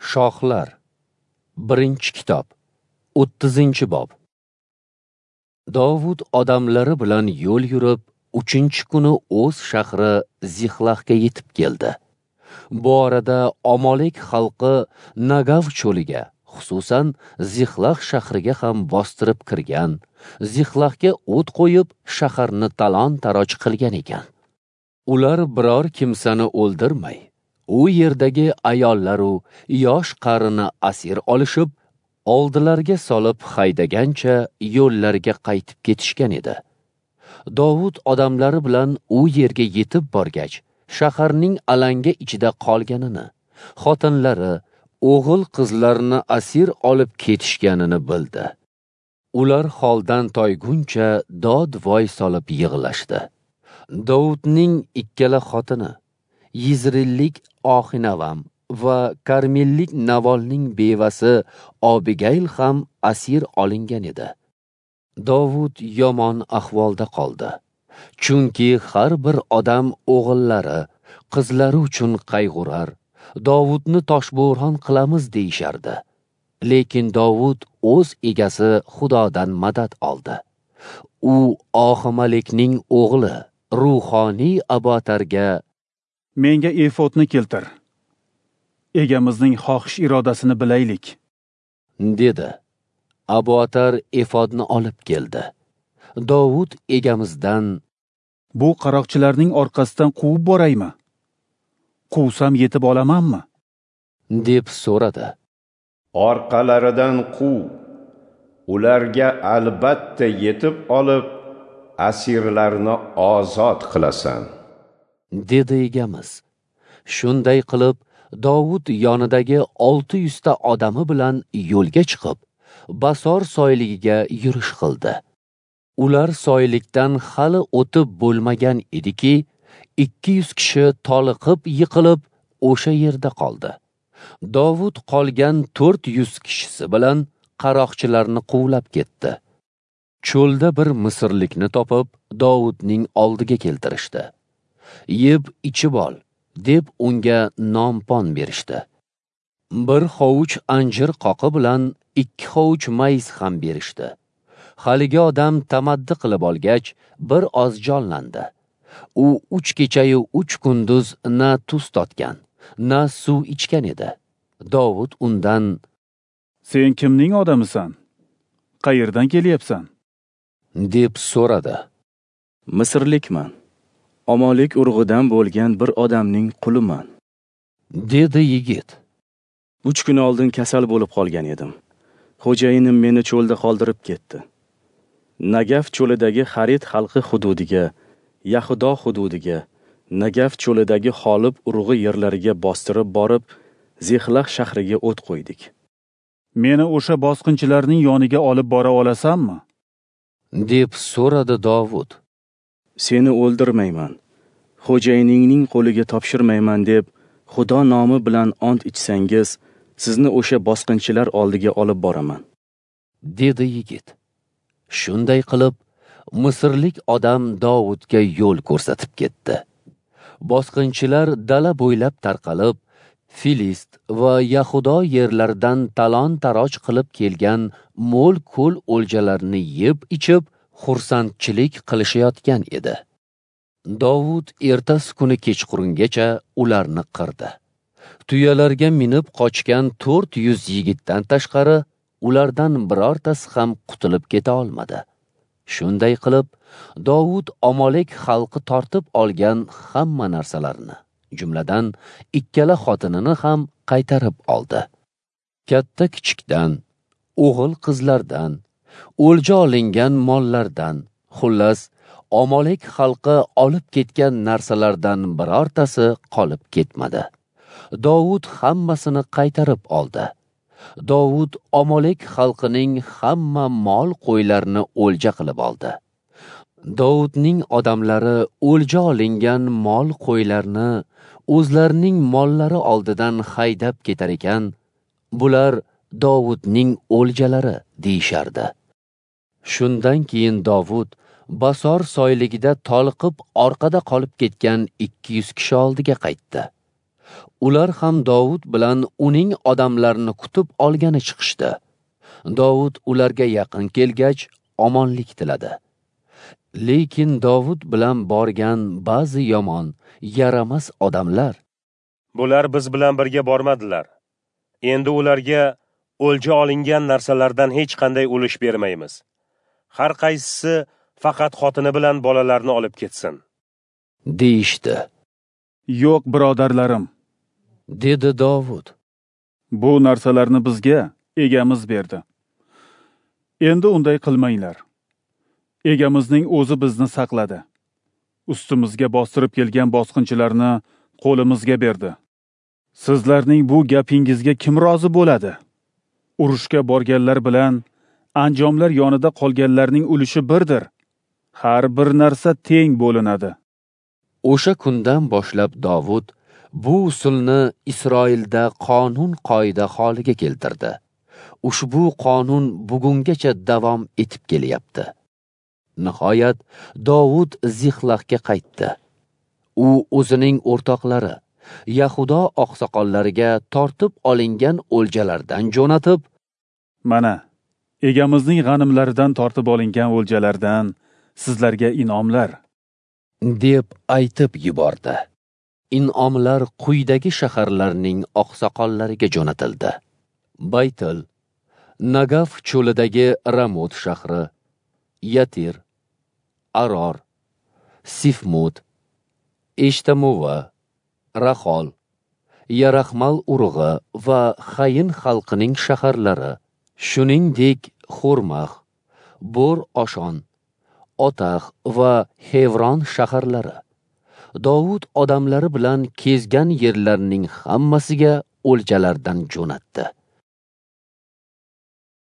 Shohlar, 1-kitob, 30-bob. Dovud odamlari bilan yo'l yurib, 3-kuni o'z shahri Zixlahga yetib keldi. Bu orada Amalek xalqi Nagav cho'liga, xususan Zixlah shahriga ham bostirib kirgan, Zixlahga o't qo'yib, shaharni talon-taroj qilgan ekan. Ular biror kimsani o'ldirmay, u yerdagi ayollaru yosh qarini asir olishib, oldilarga solib haydagancha yo'llarga qaytib ketishgan edi. Dovud odamlari bilan u yerga yetib borgach, shaharning alanga ichida qolganini, xotinlari, o'g'il qizlarini asir olib ketishganini bildi. Ular holdan toyguncha dod-voy solib yig'lashdi. Dovudning ikkala xotini, Yizrillik Oxinavam va Karmellik Navolning bevasi Abigayl ham asir olingan edi. Dovud yomon ahvolda qoldi. Chunki har bir odam o'g'illari, qizlari uchun qayg'urar, Dovudni toshbo'ron qilamiz deyishardi. Lekin Dovud o'z egasi Xudodan madad oldi. U Oximalikning o'g'li ruhoniy Abotarga: "Menga efodni keltir. Egamizning xohish irodasini bilaylik", dedi. Abotar efodni olib keldi. Dovud egamizdan: "Bu qaroqchilarning orqasidan quvib boraymi? Quvsam yetib olamanmi?" deb so'radi. "Orqalaridan quv. Ularga albatta yetib olib, asirlarni ozod qilasan", dedi egamiz. Shunday qilib, Dovud yonidagi 600 ta odami bilan yo'lga chiqib, Basor soyligiga yurish qildi. Ular soylikdan hali o'tib bo'lmagan ediki, 200 kishi toliqib yiqilib, o'sha yerda qoldi. Dovud qolgan 400 kishisi bilan qaroqchilarni quvlab ketdi. Cho'lda bir misrlikni topib, Dovudning oldiga keltirishdi. "Yeb ichib ol", deb unga non-pon berishdi. Bir hovuch anjir qoqi bilan 2 hovuch mayiz ham berishdi. Haligi odam tamaddi qilib olgach, bir oz jonlandi. U 3 kechayu 3 kunduz na tuz totgan, na suv ichgan edi. Dovud undan: "Sen kimning odamisan? Qayerdan kelyapsan?" deb so'radi. "Misrlikman. Amalek urug'idan bo'lgan bir odamning quliman", dedi yigit. 3 kun oldin kasal bo'lib qolgan edim. Xo'jayinim meni cho'lda qoldirib ketdi. Nagaf cho'lidagi Xarit xalqi hududiga, Yahudo hududiga, Nagaf cho'lidagi Xolib urug'i yerlariga bostirib borib, Zixlah shahriga o't qo'ydik. "Meni o'sha bosqinchilarning yoniga olib bora olasanmi?" deb so'radi Dovud. "Seni o'ldirmayman, xo'jayiningning qo'liga topshirmayman deb Xudo nomi bilan ont ichsangiz, sizni o'sha bosqinchilar oldiga olib boraman", dedi yigit. Shunday qilib, misrlik odam Dovudga yo'l ko'rsatib ketdi. Bosqinchilar dala bo'ylab tarqalib, Filist va Yahudo yerlaridan talon-taroj qilib kelgan mo'l-ko'l o'ljalarini yeb ichib, xursandchilik qilishayotgan edi. Dovud ertasi kuni kechqurungacha ularni qirdi. Tuyalarga minib qochgan 400 yigitdan tashqari ulardan birortasi ham qutulib keta olmadi. Shunday qilib, Dovud Amalek xalqi tortib olgan hamma narsalarni, jumladan ikkala xotinini ham qaytarib oldi. Katta kichikdan, o'g'il qizlardan, o'lja olingan mollardan, xullas Amalek xalqi olib ketgan narsalardan birortasi qolib ketmadi. Dovud hammasini qaytarib oldi. Dovud Amalek xalqining hamma mol qo'ylarini o'lja qilib oldi. Dovudning odamlari o'lja olingan mol qo'ylarni o'zlarining mollari oldidan haydab ketar ekan, bular Dovudning o'ljalari deyishardi. Shundan keyin Dovud Basor soyligida toliqib orqada qolib ketgan 200 kishi oldiga qaytdi. Ular ham Dovud bilan uning odamlarini kutib olgani chiqishdi. Dovud ularga yaqin kelgach, omonlik tiladi. Lekin Dovud bilan borgan ba'zi yomon, yaramas odamlar: "Bular biz bilan birga bormadilar. Endi ularga o'lja olingan narsalardan hech qanday ulush bermaymiz. Har qaysisi faqat xotini bilan bolalarni olib ketsin", deyishdi. "Yo'q, birodarlarim", dedi Dovud. "Bu narsalarni bizga egamiz berdi. Endi unday qilmanglar. Egamizning o'zi bizni saqladi. Ustimizga bostirib kelgan bosqinchilarni qo'limizga berdi. Sizlarning bu gapingizga kim rozi bo'ladi? Urushga borganlar bilan anjomlar yonida qolganlarning ulushi birdir. Har bir narsa teng bo'linadi." O'sha kundan boshlab Dovud bu usulni Isroilda qonun qoida holiga keltirdi. Ushbu qonun bugungacha davom etib kelyapti. Nihoyat Dovud Zixlahga qaytdi. U o'zining o'rtoqlari Yahudo oqsoqollariga tortib olingan o'ljalardan jo'natib, "Mana, egamizning g'animlaridan tortib olingan o'ljalardan sizlarga in'omlar", deb aytib yubordi. In'omlar quyidagi shaharlarning oqsoqollariga jo'natildi: Baytil, Nagaf cho'lidagi Ramot shahri, Yatir, Aror, Sifmut, Eshtamova, Rahol, Yarahmal urug'i va Xayin xalqining shaharlari, shuningdek Xurmax, Bor Oshon, Otax va Hevron shaharlari. Dovud odamlari bilan kezgan yerlarning hammasiga o'ljalardan jo'natdi.